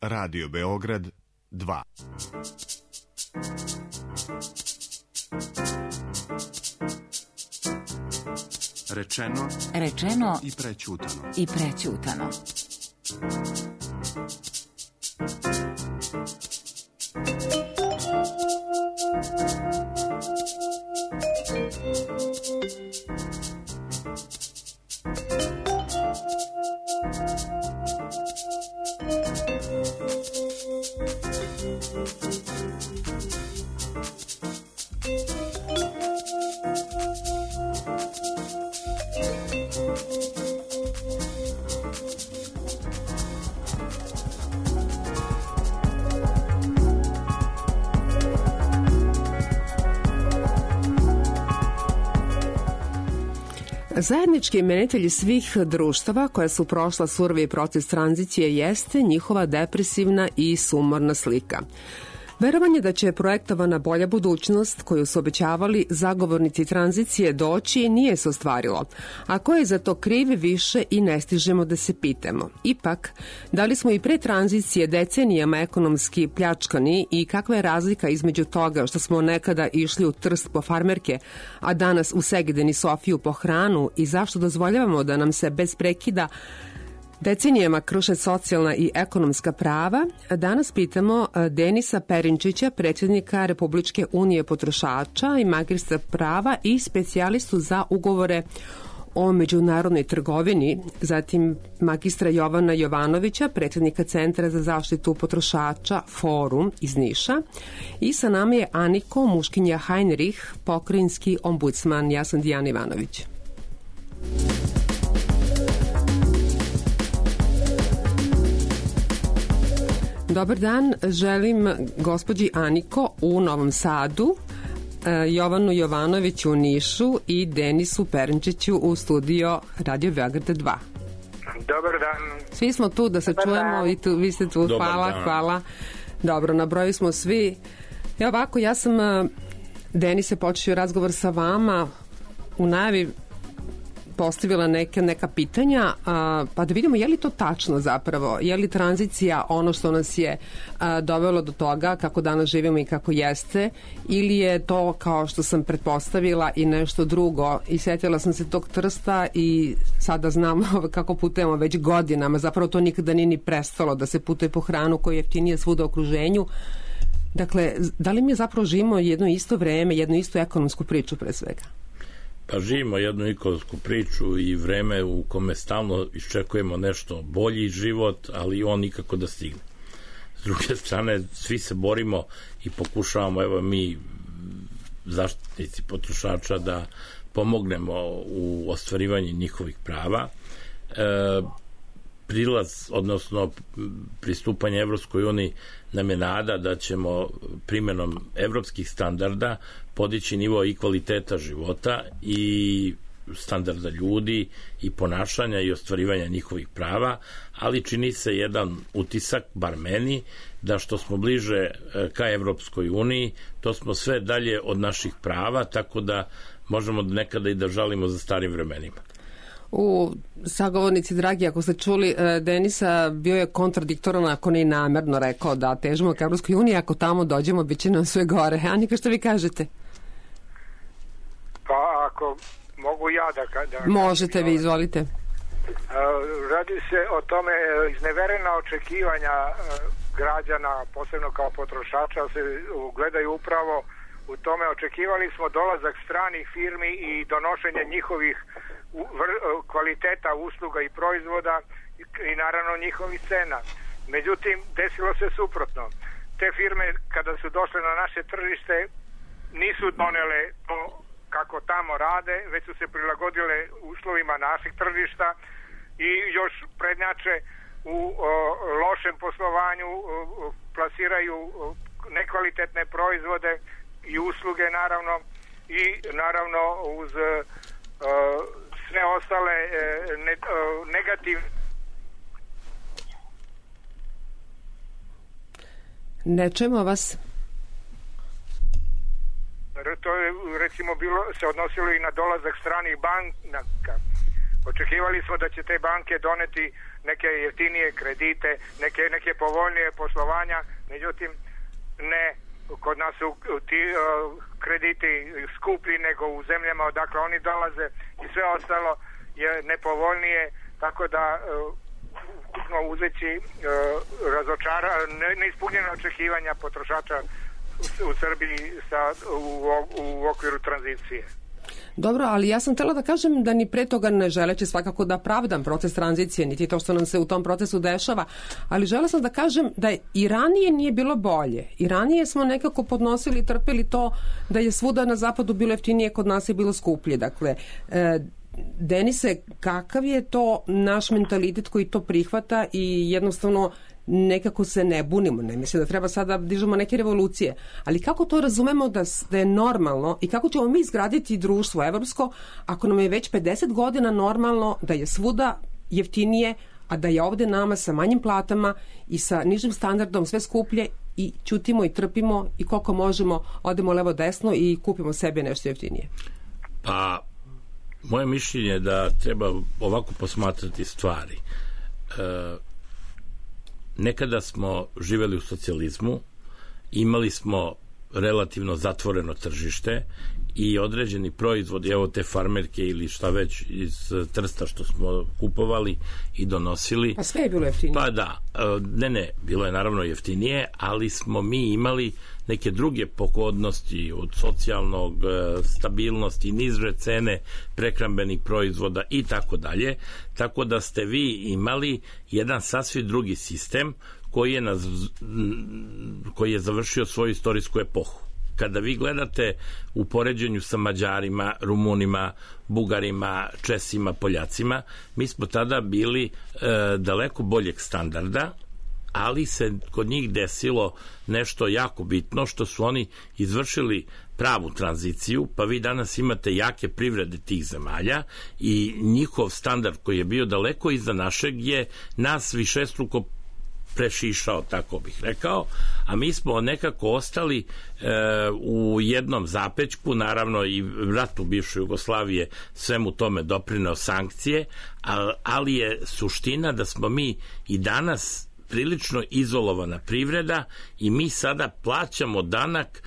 Radio Beograd 2. Rečeno i prećutano. Zajednički imenitelj svih društava koja su prošla surovi proces tranzicije jeste njihova depresivna i sumorna slika. Verovanje da će projektovana bolja budućnost koju su obećavali zagovornici tranzicije doći nije se ostvarilo. A ko je za to kriv više i ne stižemo da se pitamo. Ipak, da li smo i pre tranzicije decenijama ekonomski pljačkani i kakva je razlika između toga što smo nekada išli u Trst po farmerke, a danas u Segedin i Sofiju po hranu i zašto dozvoljavamo da nam se bez prekida decenijama kruše socijalna i ekonomska prava, danas pitamo Denisa Perinčića, predsjednika Republičke unije potrošača i magistra prava i specijalistu za ugovore o međunarodnoj trgovini, zatim magistra Jovana Jovanovića, predsjednika Centra za zaštitu potrošača Forum iz Niša, i sa nama je Aniko Muškinja Heinrich, pokrajinski ombudsman. Ja sam Dijana Ivanović. Dobar dan, želim gospođi Aniko u Novom Sadu, Jovanu Jovanoviću u Nišu i Denisu Perinčiću u studio Radio Beograd 2. Dobar dan. Svi smo tu da se čujemo i vi ste tu. Hvala. Dobro, na broju smo svi. Ovako, ja sam, Denise, počeo razgovor sa vama u najavi postavila neka pitanja, pa da vidimo je li to tačno zapravo, je li tranzicija ono što nas je dovelo do toga kako danas živimo i kako jeste, ili je to kao što sam pretpostavila i nešto drugo. I sjetila sam se tog Trsta i sada znam kako putujemo već godinama, zapravo to nikada nije ni prestalo da se putuje po hranu koja je jeftinije svuda u okruženju. Dakle, da li mi zapravo živimo jedno isto vreme, jednu istu ekonomsku priču pre svega? Pa živimo jednu ekonomsku priču i vreme u kome stalno iščekujemo nešto bolji život, ali on nikako da stigne. S druge strane, svi se borimo i pokušavamo, evo mi zaštitnici potrošača, da pomognemo u ostvarivanju njihovih prava. Prilaz, odnosno pristupanje Evropskoj uniji nam je nada da ćemo primjenom evropskih standarda podići nivo i kvaliteta života i standarda ljudi i ponašanja i ostvarivanja njihovih prava, ali čini se jedan utisak, bar meni, da što smo bliže ka Evropskoj uniji, to smo sve dalje od prava, tako da možemo nekada i da žalimo za starim vremenima. U sagovornici, dragi, ako ste čuli, Denisa bio je kontradiktoran, ako ne i namerno rekao da težimo ka Evropskoj uniji, ako tamo dođemo, bit će nam sve gore. Anika, što vi kažete? Pa ako mogu ja da možete vi, izvolite. Radi se o tome, izneverena očekivanja građana, posebno kao potrošača, se ugledaju upravo u tome. Očekivali smo dolazak stranih firmi i donošenje njihovih kvaliteta usluga i proizvoda i naravno njihovih cena. Međutim, desilo se suprotno. Te firme kada su došle na naše tržište nisu donele to kako tamo rade, već su se prilagodile uslovima naših tržišta i još prednjače u lošem poslovanju, plasiraju nekvalitetne proizvode i usluge naravno i naravno uz sve ostale negativne. Ne čujemo vas. To je recimo se odnosilo i na dolazak stranih banaka Očekivali smo da će te banke doneti neke jeftinije kredite, neke povoljnije poslovanja, međutim ne, kod nas su ti krediti skuplji nego u zemljama odakle oni dolaze i sve ostalo je nepovoljnije, tako da uzeći neispunjena očekivanja potrošača u Srbiji u okviru tranzicije. Dobro, ali ja sam htjela da kažem da ni pre toga ne želeći svakako da pravdam proces tranzicije, niti to što nam se u tom procesu dešava, ali žela sam da kažem da i ranije nije bilo bolje. I ranije smo nekako podnosili i trpeli to da je svuda na zapadu bilo jeftinije, kod nas je bilo skuplje. Dakle, Denise, kakav je to naš mentalitet koji to prihvata i jednostavno nekako se ne bunimo, ne mislim da treba sada dižemo neke revolucije, ali kako to razumemo da je normalno i kako ćemo mi izgraditi društvo evropsko ako nam je već 50 godina normalno da je svuda jeftinije, a da je ovde nama sa manjim platama i sa nižim standardom sve skuplje i ćutimo i trpimo i koliko možemo odemo levo desno i kupimo sebe nešto jeftinije? Pa, moje mišljenje je da treba ovako posmatrati stvari. Nekada smo živeli u socijalizmu, imali smo relativno zatvoreno tržište i određeni proizvodi, evo te farmerke ili šta već iz Trsta što smo kupovali i donosili. Pa sve je bilo jeftinije. Pa da, ne, bilo je naravno jeftinije, ali smo mi imali neke druge pogodnosti od socijalnog stabilnosti, niže cene prehrambenih proizvoda i tako dalje, tako da ste vi imali jedan sasvim drugi sistem koji je završio svoju istorijsku epohu. Kada vi gledate u poređenju sa Mađarima, Rumunima, Bugarima, Česima, Poljacima, mi smo tada bili daleko boljeg standarda, ali se kod njih desilo nešto jako bitno, što su oni izvršili pravu tranziciju, pa vi danas imate jake privrede tih zemalja i njihov standard koji je bio daleko iza našeg je nas višestruko prešišao, tako bih rekao, a mi smo nekako ostali u jednom zapećku, naravno i rat u bivšoj Jugoslavije svemu tome doprineo sankcije, ali je suština da smo mi i danas prilično izolovana privreda i mi sada plaćamo danak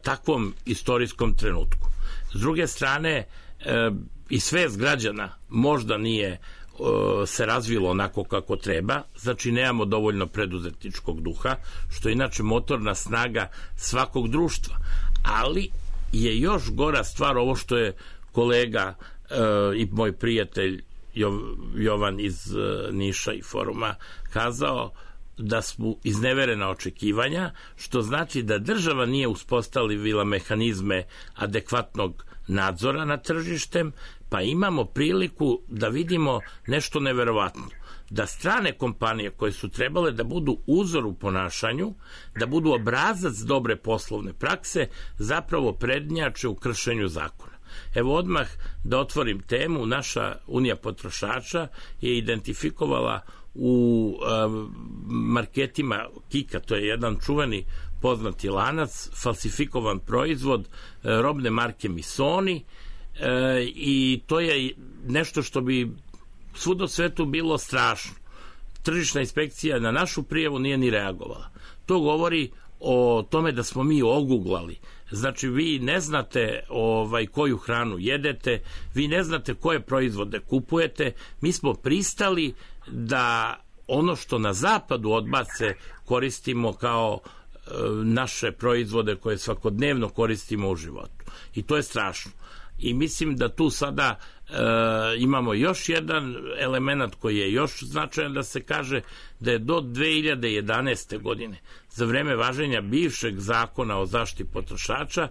takvom istorijskom trenutku. S druge strane, i svest građana možda nije se razvilo onako kako treba, znači nemamo dovoljno preduzetničkog duha, što je inače motorna snaga svakog društva, ali je još gora stvar ovo što je kolega i moj prijatelj Jovan iz Niša i foruma kazao, da su izneverena očekivanja, što znači da država nije uspostavila mehanizme adekvatnog nadzora nad tržištem, pa imamo priliku da vidimo nešto neverovatno. Da strane kompanije koje su trebale da budu uzor u ponašanju, da budu obrazac dobre poslovne prakse, zapravo prednjače u kršenju zakona. Evo odmah da otvorim temu, naša Unija potrošača je identifikovala u marketima Kika, to je jedan čuveni poznati lanac, falsifikovan proizvod robne marke Missoni, i to je nešto što bi svuda u svetu bilo strašno. Tržišna inspekcija na našu prijavu nije ni reagovala. To govori o tome da smo mi oguglali. Znači, vi ne znate koju hranu jedete, vi ne znate koje proizvode kupujete, mi smo pristali da ono što na zapadu odbace koristimo kao naše proizvode koje svakodnevno koristimo u životu. I to je strašno. I mislim da tu sada imamo još jedan element koji je još značajan da se kaže da je do 2011. godine, za vreme važenja bivšeg zakona o zaštiti potrošača,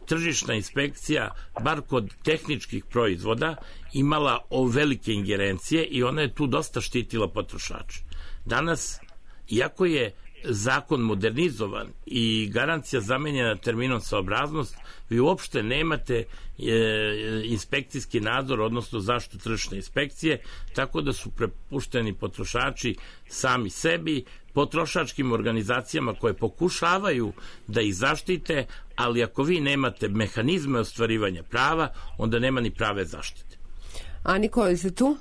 tržišna inspekcija, bar kod tehničkih proizvoda, imala velike ingerencije i ona je tu dosta štitila potrošača. Danas, iako je zakon modernizovan i garancija zamenjena terminom saobraznost, vi uopšte nemate inspekcijski nadzor, odnosno zaštitu tržišne inspekcije, tako da su prepušteni potrošači sami sebi, potrošačkim organizacijama koje pokušavaju da ih zaštite, ali ako vi nemate mehanizme ostvarivanja prava, onda nema ni prave zaštite. Aniko, jeste tu?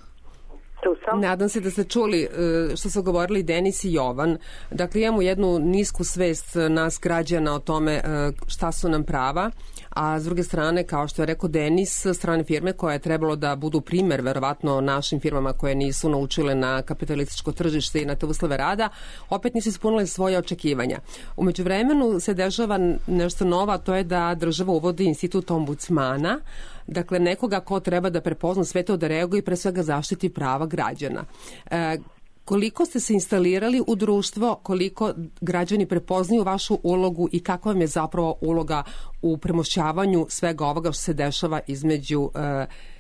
Tu sam. Nadam se da ste čuli što su govorili Denis i Jovan. Dakle, imamo jednu nisku svest nas građana o tome šta su nam prava, a s druge strane, kao što je rekao Denis, strane firme koje je trebalo da budu primer verovatno našim firmama koje nisu naučile na kapitalističko tržište i na te uslove rada, opet nisu ispunile svoje očekivanja. U međuvremenu se dešava nešto novo, a to je da država uvodi institut ombudsmana, dakle nekoga ko treba da prepozna sve to, da reaguje i pre svega zaštiti prava građana. Koliko ste se instalirali u društvo, koliko građani prepoznaju vašu ulogu i kakva vam je zapravo uloga u premošćavanju svega ovoga što se dešava između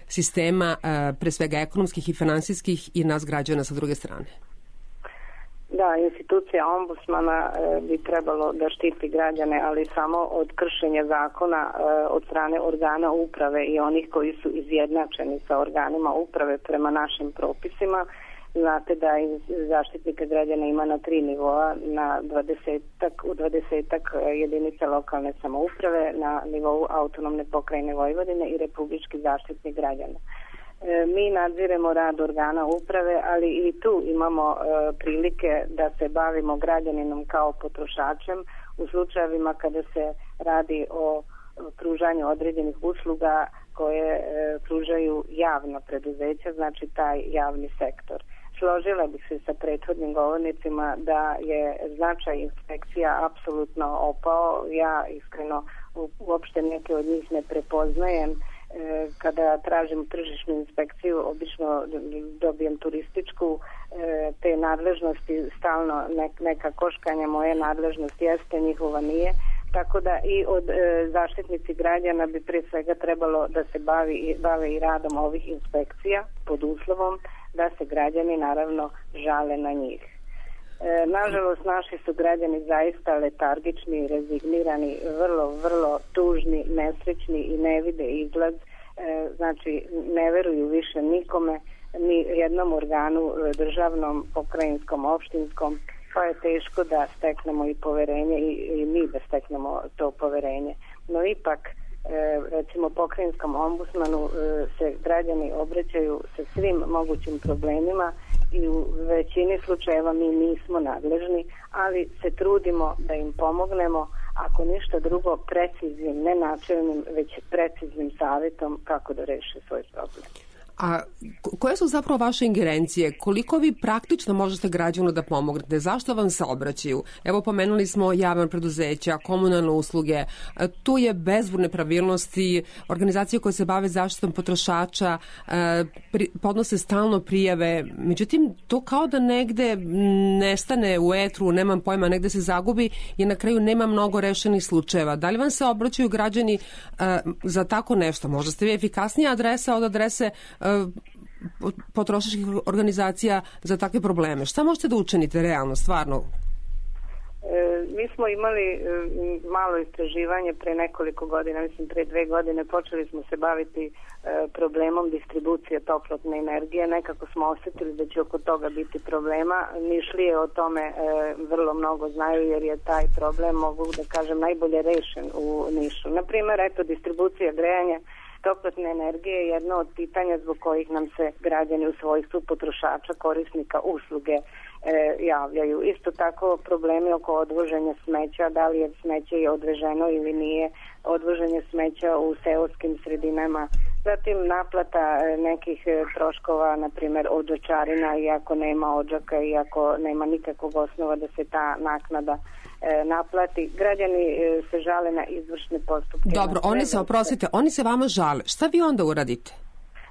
sistema, pre svega ekonomskih i finansijskih, i nas građana sa druge strane? Da, institucija ombudsmana bi trebalo da štiti građane, ali samo od kršenja zakona od strane organa uprave i onih koji su izjednačeni sa organima uprave prema našim propisima. Znate da zaštitnika građana ima na 3 nivoa, u 20-ak jedinica lokalne samouprave, na nivou autonomne pokrajine Vojvodine i republički zaštitnik građana. Mi nadziremo rad organa uprave, ali i tu imamo prilike da se bavimo građaninom kao potrošačem u slučajevima kada se radi o pružanju određenih usluga koje pružaju javna preduzeća, znači taj javni sektor. Složila bih se sa prethodnim govornicima da je značaj inspekcija apsolutno opao. Ja iskreno uopšte neke od njih ne prepoznajem. Kada tražim tržišnu inspekciju, obično dobijem turističku, te nadležnosti stalno neka koškanja, moje nadležnost jeste, njihova nije. Tako da i od zaštitnici građana bi prije svega trebalo da se bave i radom ovih inspekcija pod uslovom da se građani naravno žale na njih. Nažalost, naši su građani zaista letargični, rezignirani, vrlo tužni, nesrećni i ne vide izgled. Znači, ne veruju više nikome, ni jednom organu državnom, pokrajinskom, opštinskom, pa je teško da steknemo i poverenje i mi da steknemo to poverenje. No ipak, recimo pokrajinskom ombudsmanu se građani obraćaju sa svim mogućim problemima i u većini slučajeva mi nismo nadležni, ali se trudimo da im pomognemo, ako ništa drugo preciznim, ne načelnim, već preciznim savjetom kako da reše svoj problem. A koje su zapravo vaše ingerencije? Koliko vi praktično možete građanu da pomognete? Zašto vam se obraćaju? Evo, pomenuli smo javna preduzeća, komunalne usluge, tu je bezbroj nepravilnosti, organizacije koje se bave zaštitom potrošača, podnose stalno prijave, međutim, to kao da negde nestane u etru, nemam pojma, negde se zagubi i na kraju nema mnogo rešenih slučajeva. Da li vam se obraćaju građani za tako nešto? Možda ste vi efikasnija adresa od adrese potrošačkih organizacija za takve probleme. Šta možete da učinite realno, stvarno? Mi smo imali malo istraživanje pre nekoliko godina, mislim pre 2 godine, počeli smo se baviti problemom distribucije toplotne energije. Nekako smo osetili da će oko toga biti problema. Nišlije o tome vrlo mnogo znaju, jer je taj problem, mogu da kažem, najbolje rešen u Nišu. Naprimer, eto, distribucija grejanja toplotne energije je jedno od pitanja zbog kojih nam se građani u svojstvu potrošača, korisnika usluge javljaju. Isto tako problemi oko odvoženja smeća, da li je smeće odveženo ili nije, odvoženje smeća u seoskim sredinama, zatim naplata nekih troškova, na primjer odžačarina, iako nema odžaka, iako nema nikakvog osnova da se ta naknada naplati. Građani se žale na izvršne postupke. Dobro, oni se vama žale. Šta vi onda uradite?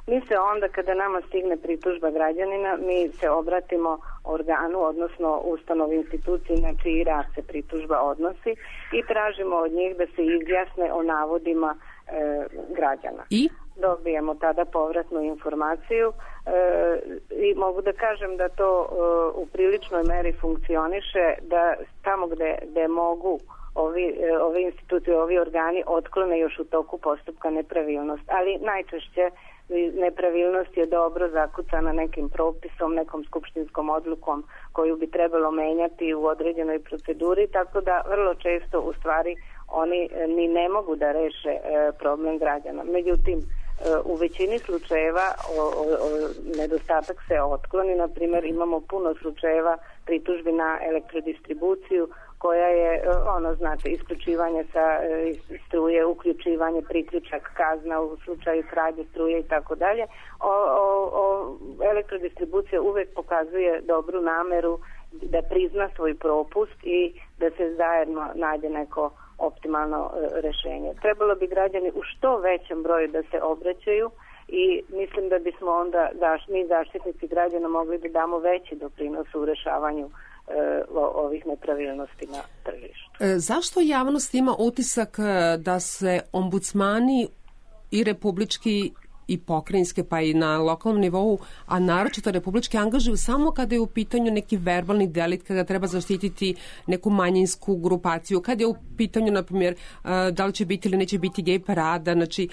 Mi se onda, kada nama stigne pritužba građanina, mi se obratimo organu, odnosno ustanovi, instituciji na čiji rad se pritužba odnosi i tražimo od njih da se izjasne o navodima građana. I? Dobijemo tada povratnu informaciju i mogu da kažem da to u priličnoj meri funkcioniše, da tamo gde mogu ove institucije, ovi organi otklone još u toku postupka nepravilnost, ali najčešće nepravilnost je dobro zakucana nekim propisom, nekom skupštinskom odlukom koju bi trebalo menjati u određenoj proceduri, tako da vrlo često u stvari oni ni ne mogu da reše problem građana. Međutim, u većini slučajeva nedostatak se otkloni. Na primjer, imamo puno slučajeva pritužbi na elektrodistribuciju koja je, znate, isključivanje sa struje, uključivanje, priključak, kazna u slučaju krađe struje i tako dalje. Elektrodistribucija uvek pokazuje dobru nameru da prizna svoj propust i da se zajedno nađe neko optimalno rešenje. Trebalo bi građani u što većem broju da se obraćaju i mislim da bismo onda mi zaštitnici građana mogli da damo veći doprinos u rešavanju ovih nepravilnosti na tržištu. Zašto javnost ima utisak da se ombudsmani i republički i pokrajinske pa i na lokalnom nivou, a naročito republički angažuju samo kada je u pitanju neki verbalni delikt, kada treba zaštititi neku manjinsku grupaciju, kada je u pitanju, na primjer, da li će biti ili neće biti gej parada, znači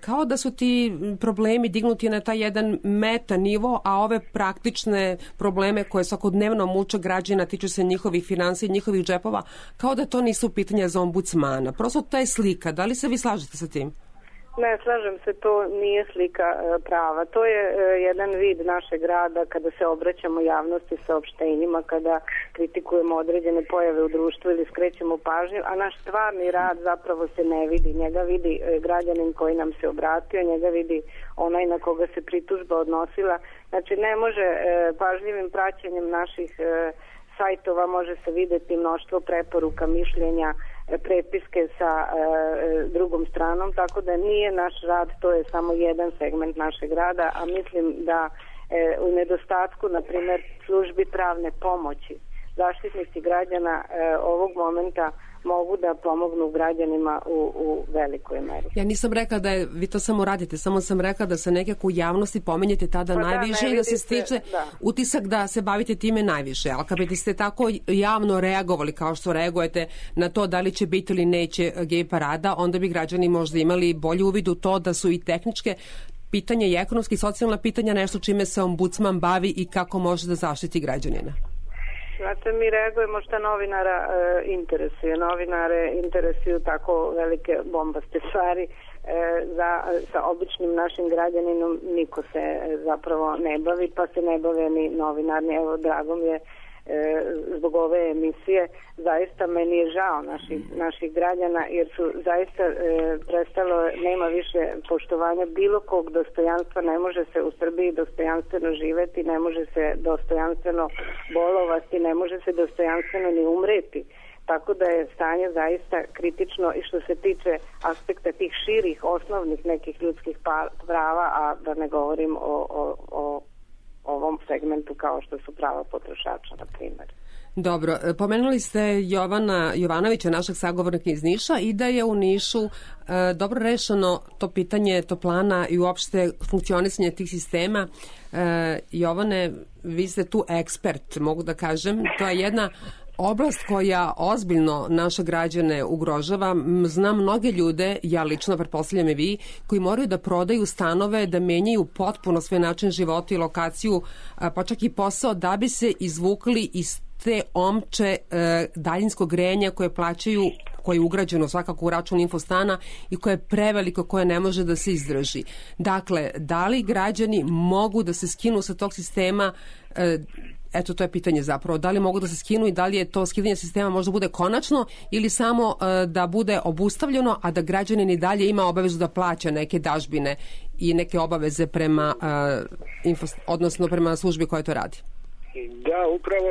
kao da su ti problemi dignuti na taj jedan meta nivo, a ove praktične probleme koje svakodnevno muče građana, tiču se njihovih finansija i njihovih džepova, kao da to nisu pitanja za ombudsmana. Prosto to je slika. Da li se vi slažete sa tim? Ne, slažem se, to nije slika prava. To je jedan vid našeg rada kada se obraćamo javnosti saopštenjima, kada kritikujemo određene pojave u društvu ili skrećemo pažnju, a naš stvarni rad zapravo se ne vidi. Njega vidi građanin koji nam se obratio, njega vidi onaj na koga se pritužba odnosila. Znači, ne može pažljivim praćenjem naših sajtova može se videti mnoštvo preporuka, mišljenja, prepiske sa drugom stranom, tako da nije naš rad, to je samo jedan segment našeg rada, a mislim da u nedostatku, na primjer, službi pravne pomoći, zaštitnici građana ovog momenta mogu da pomognu građanima u velikoj meri. Ja nisam rekla da vi to samo radite, samo sam rekla da se nekako u javnosti pomenjete tada najviše i da se stiče utisak da se bavite time najviše. Ali kad biste tako javno reagovali kao što reagujete na to da li će biti ili neće gej parada, onda bi građani možda imali bolji uvid u to da su i tehničke pitanja i ekonomski i socijalna pitanja nešto čime se ombudsman bavi i kako može da zaštiti građanina. Znate, mi reagujemo šta novinara interesuje. Novinare interesuju tako velike bombaste stvari. Sa običnim našim građaninom niko se zapravo ne bavi, pa se ne bave ni novinarni. Evo, drago mi je zbog ove emisije. Zaista meni je žao naših građana jer su zaista prestalo, nema više poštovanja bilo kog dostojanstva, ne može se u Srbiji dostojanstveno živeti, ne može se dostojanstveno bolovati, ne može se dostojanstveno ni umreti. Tako da je stanje zaista kritično i što se tiče aspekta tih širih, osnovnih nekih ljudskih prava, a da ne govorim o ovom segmentu kao što su prava potrošača, na primjer. Dobro, pomenuli ste Jovana Jovanovića, našeg sagovornika iz Niša, i da je u Nišu dobro rešeno to pitanje toplana i uopšte funkcionisanje tih sistema. Jovane, vi ste tu ekspert, mogu da kažem. To je jedna oblast koja ozbiljno naše građane ugrožava. Znam mnoge ljude, ja lično, pretpostavljam i vi, koji moraju da prodaju stanove, da menjaju potpuno svoj način života i lokaciju, pa čak i posao, da bi se izvukli iz te omče daljinskog grejanja koje plaćaju, koje je ugrađeno svakako u račun infostana i koje je preveliko, koje ne može da se izdrži. Dakle, da li građani mogu da se skinu sa tog sistema? Eto, to je pitanje zapravo. Da li mogu da se skinu i da li je to skidanje sistema možda bude konačno ili samo da bude obustavljeno, a da građanin i dalje ima obavezu da plaća neke dažbine i neke obaveze prema odnosno prema službi koja to radi? Da, upravo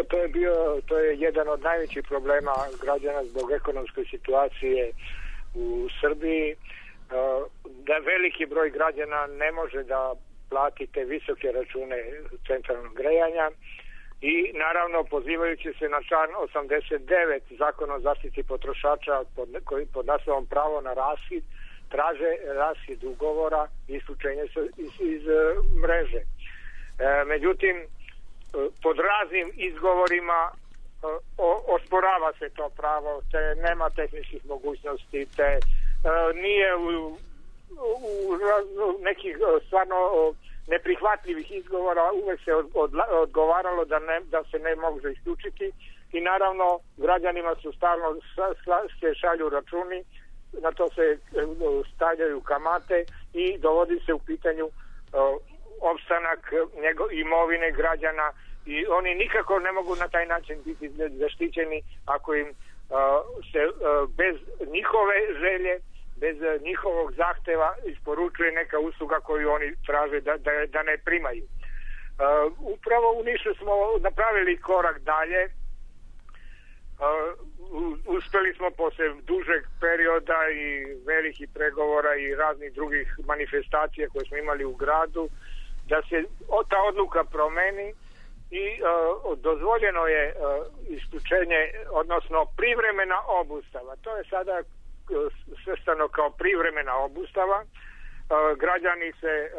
to je jedan od najvećih problema građana zbog ekonomske situacije u Srbiji, da veliki broj građana ne može da plati te visoke račune centralnog grejanja i naravno pozivajući se na član 89 Zakona o zaštiti potrošača koji pod naslovom pravo na raskid traže raskid ugovora i isključenje iz mreže. Međutim, pod raznim izgovorima osporava se to pravo, te nema tehničkih mogućnosti, te nije u nekih stvarno neprihvatljivih izgovora uvek se odgovaralo da se ne može isključiti i naravno građanima su stalno se šalju računi, na to se stavljaju kamate i dovodi se u pitanju opstanak imovine građana i oni nikako ne mogu na taj način biti zaštićeni ako im se bez njihove želje, bez njihovog zahteva isporučuje neka usluga koju oni traže da ne primaju. Upravo u Nišu smo napravili korak dalje. Uspeli smo posle dužeg perioda i velikih pregovora i raznih drugih manifestacija koje smo imali u gradu da se ta odluka promeni i dozvoljeno je isključenje, odnosno privremena obustava. To je sada svrstano kao privremena obustava. Građani se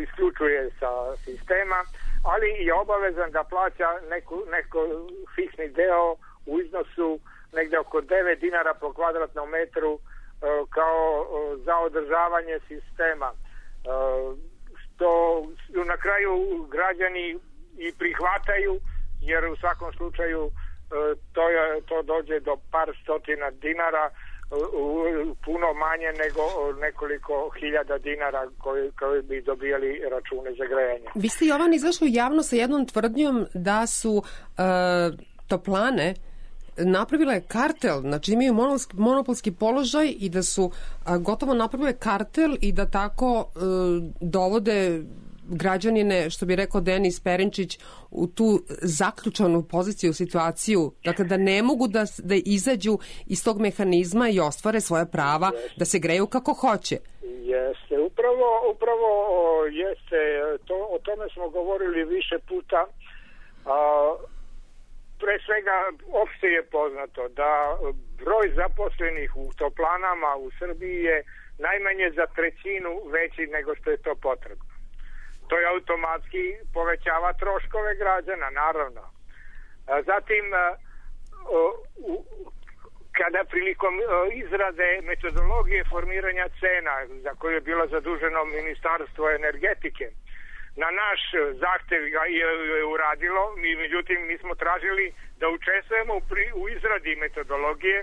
isključuje sa sistema, ali je obavezan da plaća neko fiksni deo u iznosu negde oko 9 dinara po kvadratnom metru kao za održavanje sistema. Što na kraju građani i prihvataju, jer u svakom slučaju to dođe do par stotina dinara, puno manje nego nekoliko hiljada dinara koji bi dobijali račune za grejanje. Vi ste, Jovan, izašli u javno sa jednom tvrdnjom da su toplane napravile kartel, znači imaju monopolski položaj i da su gotovo napravile kartel i da tako dovode građanine, što bi rekao Denis Perinčić, u tu zaključanu poziciju, situaciju, dakle da ne mogu da izađu iz tog mehanizma i ostvare svoje prava, da se greju kako hoće. Jeste, upravo jeste, o tome smo govorili više puta. Pre svega, opšte je poznato da broj zaposlenih u toplanama u Srbiji je najmanje za trećinu veći nego što je to potrebno. To je automatski povećava troškove građana, naravno. Zatim, kada prilikom izrade metodologije formiranja cena, za koju je bilo zaduženo Ministarstvo energetike, na naš zahtev je uradilo, međutim mi smo tražili da učestvujemo u izradi metodologije.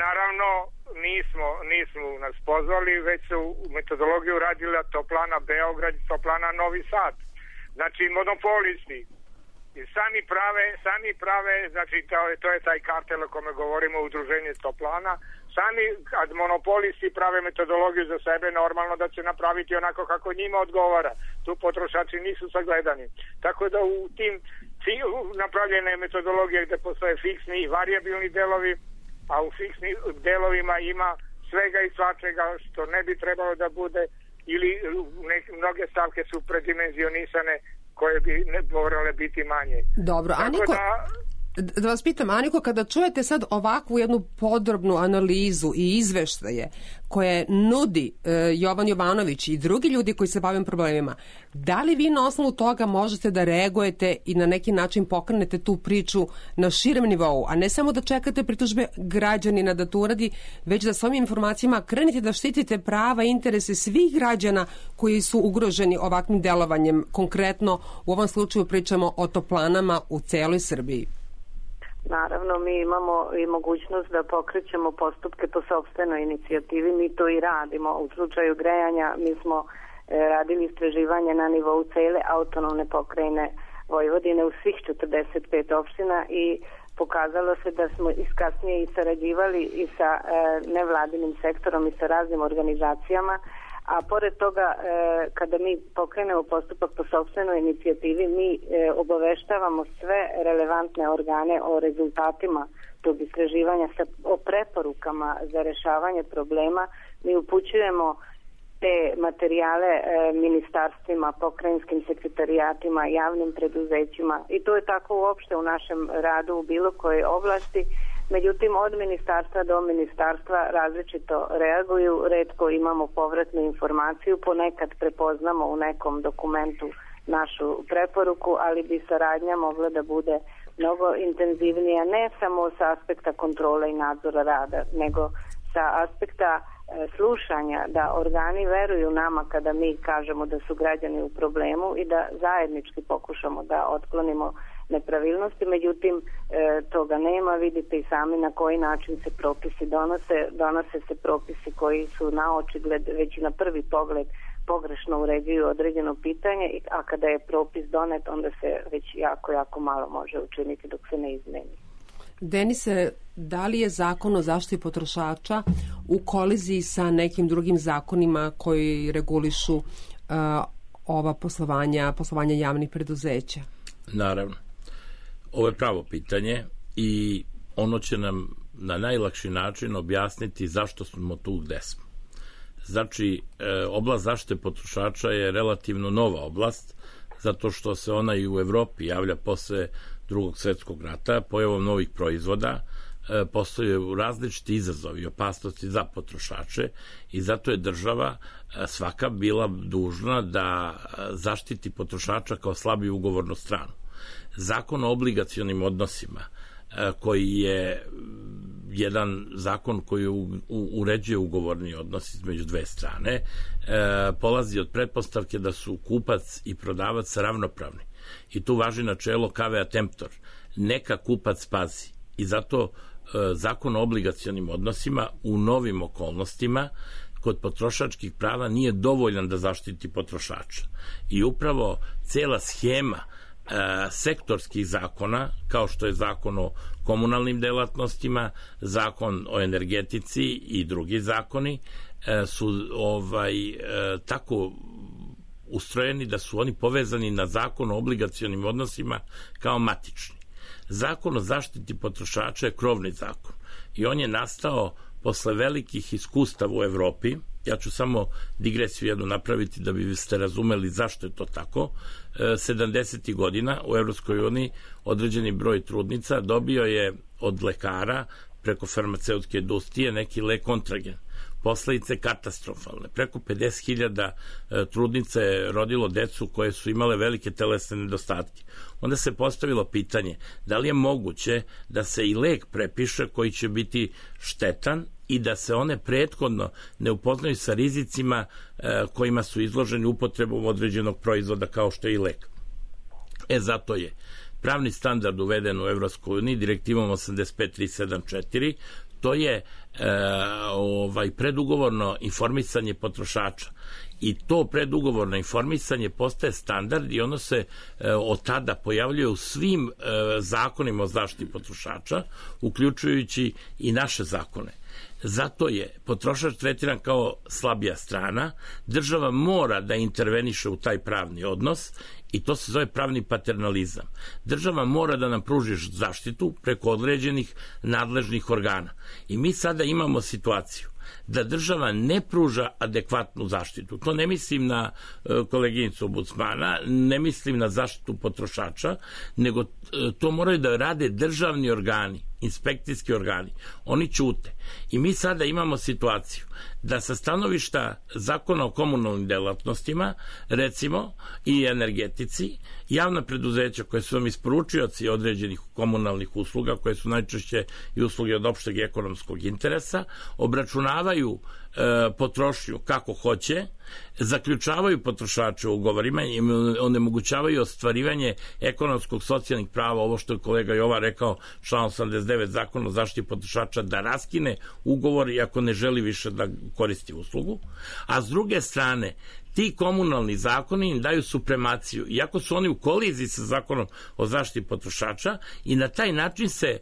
Naravno nismo nas pozvali, već su metodologiju radila Toplana Beograd i Toplana Novi Sad. Znači monopolisti i sami prave, znači to je taj kartel o kome govorimo, udruženje Toplana. Sami kad monopolisti prave metodologiju za sebe, normalno da će napraviti onako kako njima odgovara. Tu potrošači nisu sagledani. Tako da u tim napravljene metodologije gde postoje fiksni i varijabilni delovi, a u fiksnim delovima ima svega i svačega što ne bi trebalo da bude, ili mnoge stavke su predimenzionisane koje bi ne morale biti manje. Dobro, Aniko, da vas pitam, Aniko, kada čujete sad ovakvu jednu podrobnu analizu i izveštaje koje nudi Jovan Jovanović i drugi ljudi koji se bavim problemima, da li vi na osnovu toga možete da reagujete i na neki način pokrenete tu priču na širem nivou, a ne samo da čekate pritužbe građanina da to uradi, već da s ovim informacijama krenete da štitite prava i interese svih građana koji su ugroženi ovakvim delovanjem? Konkretno, u ovom slučaju pričamo o toplanama u celoj Srbiji. Naravno, mi imamo i mogućnost da pokrećemo postupke po sopstvenoj inicijativi, mi to i radimo. U slučaju grejanja mi smo radili istraživanje na nivou cele autonomne pokrajine Vojvodine u svih 45 opština i pokazalo se da smo kasnije i sarađivali i sa nevladinim sektorom i sa raznim organizacijama, a pored toga kada mi pokrenemo postupak po sopstvenoj inicijativi mi obaveštavamo sve relevantne organe o rezultatima tog istraživanja, o preporukama za rešavanje problema. Mi upućujemo te materijale ministarstvima, pokrajinskim sekretarijatima, javnim preduzećima i to je tako uopšte u našem radu u bilo kojoj oblasti. Međutim, od ministarstva do ministarstva različito reaguju, retko imamo povratnu informaciju, ponekad prepoznamo u nekom dokumentu našu preporuku, ali bi saradnja mogla da bude mnogo intenzivnija, ne samo sa aspekta kontrole i nadzora rada, nego sa aspekta slušanja, da organi veruju nama kada mi kažemo da su građani u problemu i da zajednički pokušamo da otklonimo nepravilnosti, međutim toga nema. Vidite i sami na koji način se propisi donose se propisi koji su na očigled već i na prvi pogled pogrešno uređuju određeno pitanje, a kada je propis donet onda se već jako malo može učiniti dok se ne izmeni. Denise, da li je zakon o zaštiti potrošača u koliziji sa nekim drugim zakonima koji regulišu ova poslovanja javnih preduzeća? Naravno. Ovo je pravo pitanje i ono će nam na najlakši način objasniti zašto smo tu gde smo. Znači, oblast zaštite potrošača je relativno nova oblast, zato što se ona i u Evropi javlja posle Drugog svjetskog rata, pojavom novih proizvoda, postoje različiti izazovi i opasnosti za potrošače i zato je država svaka bila dužna da zaštiti potrošača kao slabiju ugovornu stranu. Zakon o obligacionim odnosima, koji je jedan zakon koji uređuje ugovorni odnos između dve strane, polazi od pretpostavke da su kupac i prodavac ravnopravni. I tu važi načelo cavea temptor. Neka kupac pazi. I zato zakon o obligacionim odnosima u novim okolnostima kod potrošačkih prava nije dovoljan da zaštiti potrošača. I upravo cela schema sektorskih zakona, kao što je zakon o komunalnim delatnostima, zakon o energetici i drugi zakoni, su tako ustrojeni da su oni povezani na zakon o obligacionim odnosima kao matični. Zakon o zaštiti potrošača je krovni zakon i on je nastao posle velikih iskustava u Evropi. Ja ću samo digresiju jednu napraviti da biste razumeli zašto je to tako. 70. godina u Evropskoj uniji određeni broj trudnica dobio je od lekara preko farmaceutske industrije neki lek Kontragen. Posledice katastrofalne. Preko 50.000 trudnica je rodilo decu koje su imale velike telesne nedostatke. Onda se postavilo pitanje da li je moguće da se i lek prepiše koji će biti štetan i da se one prethodno ne upoznaju sa rizicima kojima su izloženi upotrebom određenog proizvoda kao što je i lek. Zato je pravni standard uveden u Evropskoj uniji direktivom 85.374. To je predugovorno informisanje potrošača i to predugovorno informisanje postaje standard i ono se od tada pojavljuje u svim zakonima o zaštiti potrošača, uključujući i naše zakone. Zato je potrošač tretiran kao slabija strana, država mora da interveniše u taj pravni odnos i to se zove pravni paternalizam. Država mora da nam pruži zaštitu preko određenih nadležnih organa. I mi sada imamo situaciju da država ne pruža adekvatnu zaštitu. To ne mislim na koleginicu ombudsmana, ne mislim na zaštitu potrošača, nego to moraju da rade državni organi, inspekcijski organi. Oni ćute. I mi sada imamo situaciju da sa stanovišta zakona o komunalnim delatnostima, recimo i energetici, javna preduzeća koje su vam isporučioci određenih komunalnih usluga, koje su najčešće i usluge od opšteg ekonomskog interesa, obračunavaju potrošnju kako hoće, zaključavaju potrošače u ugovorima i onemogućavaju ostvarivanje ekonomskog socijalnih prava, ovo što je kolega Jova rekao, član 89 zakona o zaštiti potrošača, da raskine ugovor i ako ne želi više da koristi uslugu, a s druge strane ti komunalni zakoni im daju supremaciju, iako su oni u koliziji sa zakonom o zaštiti potrošača i na taj način se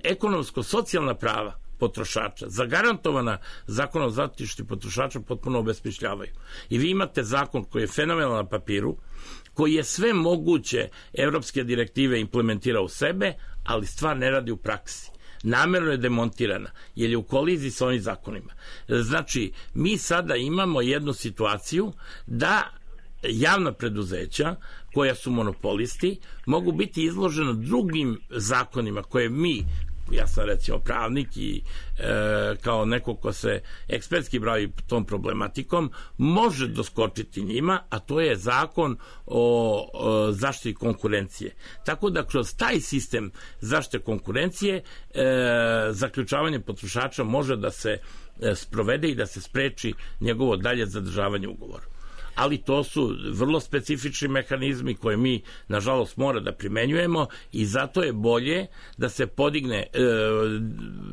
ekonomsko-socijalna prava potrošača, zagarantovana zakonom o zaštiti potrošača, potpuno obesmišljavaju. I vi imate zakon koji je fenomenalan na papiru, koji je sve moguće evropske direktive implementira u sebe, ali stvar ne radi u praksi. Namerno je demontirana, jer je u koliziji sa ovim zakonima. Znači, mi sada imamo jednu situaciju da javna preduzeća koja su monopolisti mogu biti izložena drugim zakonima koje mi, ja sam recimo pravnik i kao neko ko se ekspertski bavi tom problematikom, može doskočiti njima, a to je zakon o zaštiti konkurencije. Tako da kroz taj sistem zaštite konkurencije zaključavanje potrošača može da se sprovede i da se spreči njegovo dalje zadržavanje ugovora. ali to su vrlo specifični mehanizmi koje mi, nažalost, mora da primenjujemo i zato je bolje da se podigne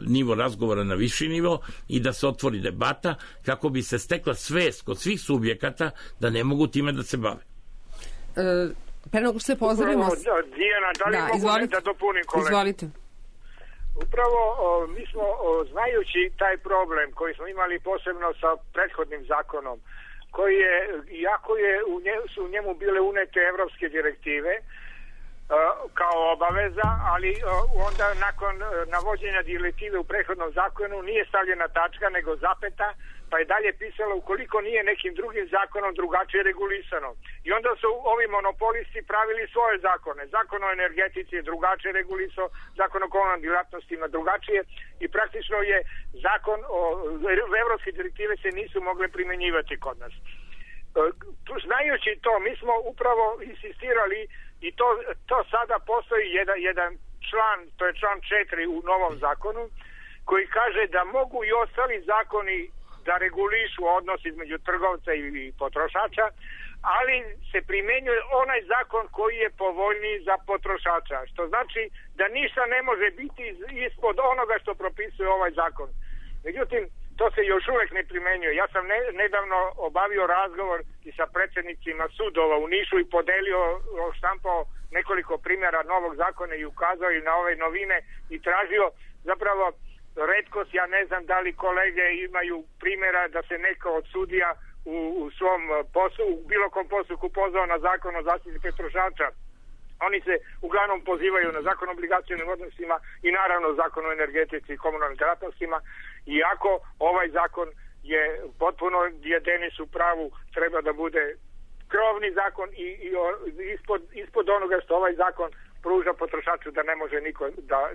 nivo razgovora na viši nivo i da se otvori debata kako bi se stekla svest kod svih subjekata da ne mogu time da se bave. Pre nego što se pozdravimo... Dijana, da li mogu da dopunim kolega? Izvolite. Upravo mi smo, znajući taj problem koji smo imali posebno sa prethodnim zakonom, koji je, iako su u njemu bile unete evropske direktive kao obaveza, ali onda nakon navođenja direktive u prethodnom zakonu nije stavljena tačka nego zapeta, pa je dalje pisalo ukoliko nije nekim drugim zakonom drugačije regulisano. I onda su ovi monopolisti pravili svoje zakone. Zakon o energetici je drugačije regulisao, zakon o komunalnim djelatnostima drugačije i praktično je zakon o evropske direktive se nisu mogle primjenjivati kod nas. Znajući to, mi smo upravo insistirali i to sada postoji jedan član, to je član 4 u novom zakonu, koji kaže da mogu i ostali zakoni da regulišu odnos između trgovca i potrošača, ali se primenjuje onaj zakon koji je povoljniji za potrošača, što znači da ništa ne može biti ispod onoga što propisuje ovaj zakon. Međutim, to se još uvek ne primenjuje. Ja sam nedavno obavio razgovor i sa predsjednicima sudova u Nišu i podelio, štampao nekoliko primjera novog zakona i ukazao i na ove novine i tražio zapravo retkost, ja ne znam da li kolege imaju primjera da se neko od sudija u svom poslu, u bilo kom postupku pozvao na zakon o zaštiti potrošača. Oni se uglavnom pozivaju na zakon o obligacionim odnosima i naravno zakon o energetici i komunalnim djelatnostima, iako ovaj zakon je potpuno, je Denis u pravu, treba da bude krovni zakon i ispod onoga što ovaj zakon pruža potrošaču da ne može niko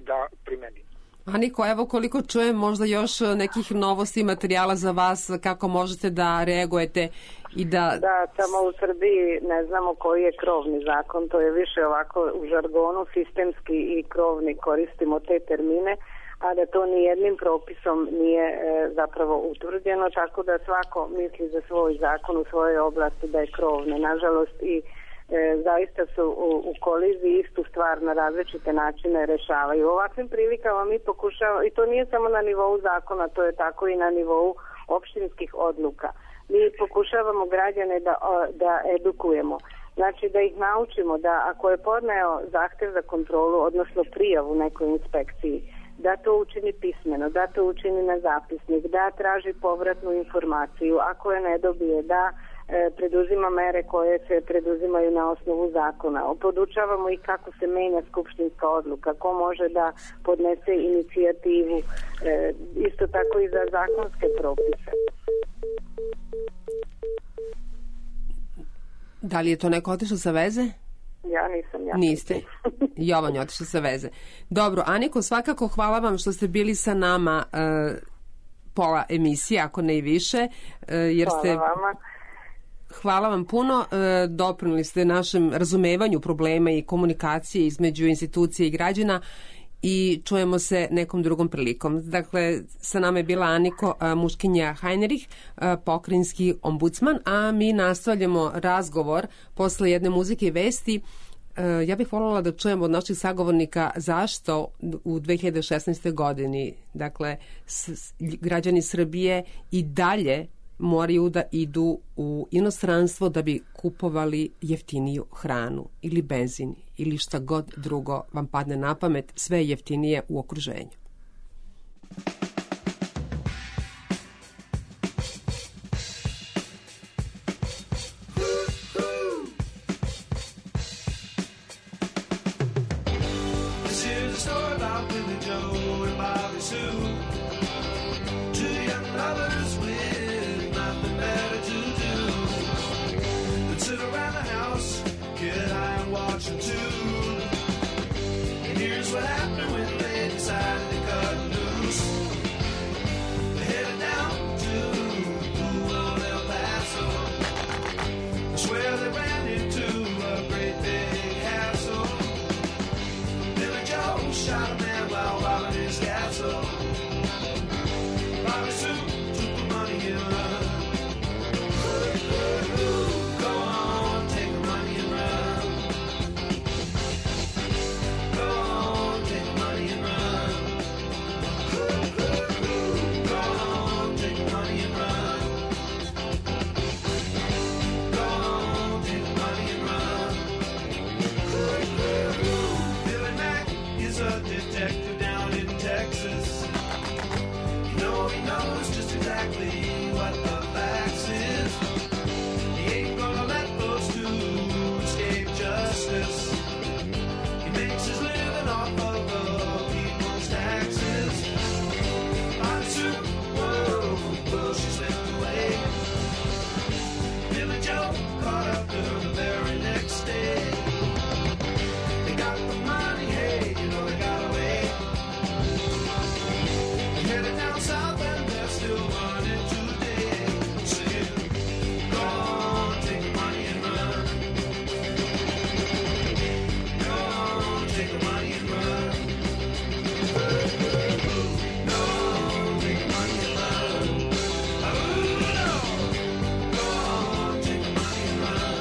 da primeni. Aniko, evo koliko čujem možda još nekih novosti i materijala za vas, kako možete da reagujete i da... Da, samo u Srbiji ne znamo koji je krovni zakon, to je više ovako u žargonu sistemski i krovni, koristimo te termine, a da to nijednim propisom nije zapravo utvrđeno, tako da svako misli za svoj zakon u svojoj oblasti da je krovni. Nažalost i zaista su u koliziji istu stvar na različite načine rešavaju. U ovakvim prilikama mi pokušavamo, i to nije samo na nivou zakona, to je tako i na nivou opštinskih odluka. Mi pokušavamo građane da edukujemo. Znači da ih naučimo da ako je podneo zahtev za kontrolu, odnosno prijavu nekoj inspekciji, da to učini pismeno, da to učini na zapisnik, da traži povratnu informaciju, ako je ne dobije, da preduzima mere koje se preduzimaju na osnovu zakona. Podučavamo i kako se menja skupštinska odluka, ko može da podnese inicijativu, isto tako i za zakonske propise. Da li je to neko otišao sa veze? Ja nisam. Ja niste? Jovan je otišao sa veze. Dobro, Aniko, svakako hvala vam što ste bili sa nama pola emisije, ako ne i više. Jer hvala vama. Hvala vam puno, doprinuli ste našem razumevanju problema i komunikacije između institucije i građana i čujemo se nekom drugom prilikom. Dakle, sa nama je bila Aniko Muškinja Hajnerih, pokrajinski ombudsman, a mi nastavljamo razgovor posle jedne muzike i vesti. Ja bih voljela da čujem od naših sagovornika zašto u 2016. godini, dakle, građani Srbije i dalje moraju da idu u inostranstvo da bi kupovali jeftiniju hranu ili benzin ili šta god drugo vam padne na pamet, sve je jeftinije u okruženju. Shot a man while robbing his castle. exactly what the facts is. He ain't gonna let those two escape justice. He makes his living off of the people's taxes. On Super Bowl, she slipped away. Billy Joe caught up to her the very next day. They got the money, hey, you know they got away. They headed down south and they're still running today. Saying, go on, take the money and run. Go on, take the money and run. Go on, take the money and run. Oh, no. Go on, take the money and run.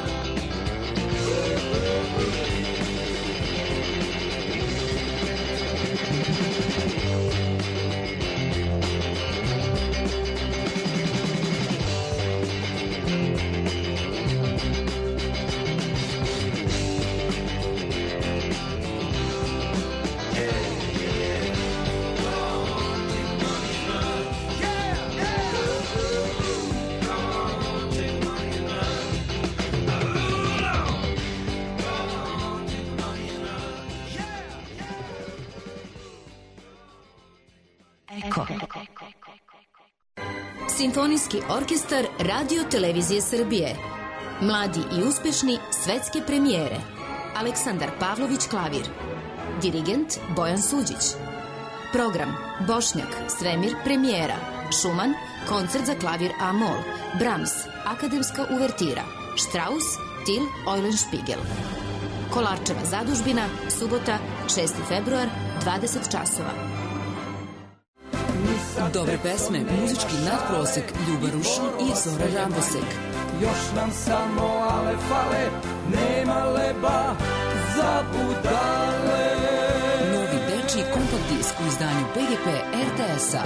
Eko. Simfonijski orkestar Radio Televizije Srbije. Mladi i uspešni svetske premijere. Aleksandar Pavlović klavir. Dirigent Bojan Suđić. Program Bošnjak, Svemir premijera. Šuman, koncert za klavir A-mol. Brahms, akademska uvertira. Strauss, Till Eulenspiegel. Kolarčeva zadužbina, subota, 6. februar, 20 časova. Dobre pesme, muzički nadprosek, Ljuba Rušin i Zora Rambosek. Još nam samo ale fale, nema leba za budale. Novi dečiji kompakt disk u izdanju PGP RTS-a.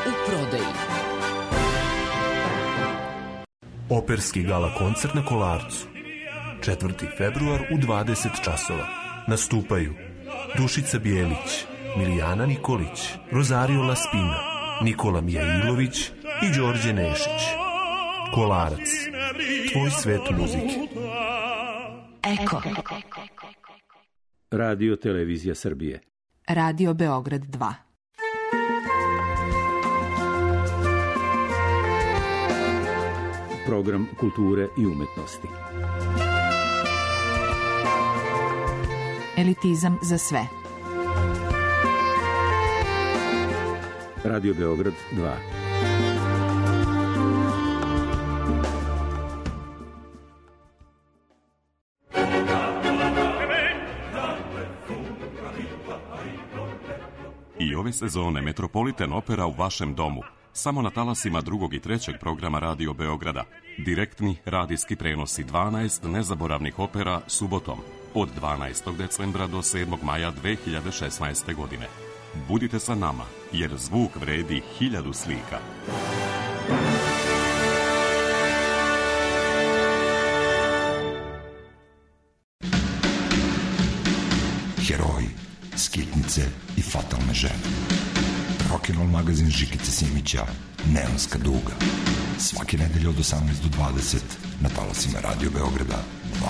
U prodaji. Operski gala koncert na Kolarcu. 4. februar u 20 časova. Nastupaju Dušica Bijelić, Milijana Nikolić, Rosario Laspina, Nikola Mijailović i Đorđe Nešić. Kolarac, tvoj svet muzike. Eko. Radio Televizija Srbije. Radio Beograd 2. Program kulture i umetnosti. Elitizam za sve. Radio Beograd 2. I ove sezone Metropolitan Opera u vašem domu. Samo na talasima 2. i 3. programa Radio Beograda. Direktni radijski prenosi 12 nezaboravnih opera subotom od 12. decembra do 7. maja 2016. godine. Budite sa nama, jer zvuk vredi 1000 slika. Heroji, skitnice i fatalne žene. Rock'n'roll magazin Žikice Simića, Neonska duga. Svake nedelje od 18 do 20 na talasima Radio Beograda 2.